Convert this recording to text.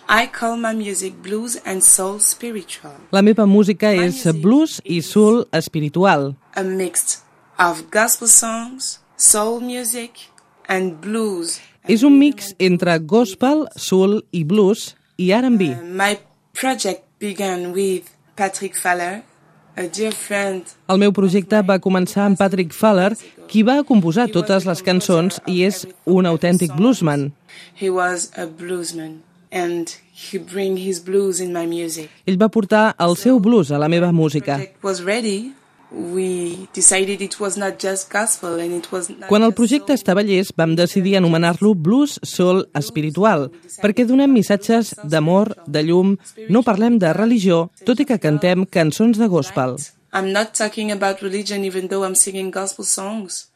I call my music blues and soul spiritual. La meva música és blues i soul espiritual. A mix of gospel songs, soul music and blues. És un mix entre gospel, soul i blues i R&B. My project began with Patrick Faller, a dear friend. El meu projecte va començar amb Patrick Faller, qui va composar totes les cançons i és un autèntic bluesman. He was a bluesman and he bring his blues in my music. Ell va portar el seu blues a la meva música. The project was ready. We decided it was not just gospel and it was not. Quan el projecte estava llest, vam decidir anomenar-lo Blues Soul Espiritual, perquè donem missatges d'amor, de llum, no parlem de religió, tot i que cantem cançons de gospel. I'm not talking about religion even though I'm singing gospel songs.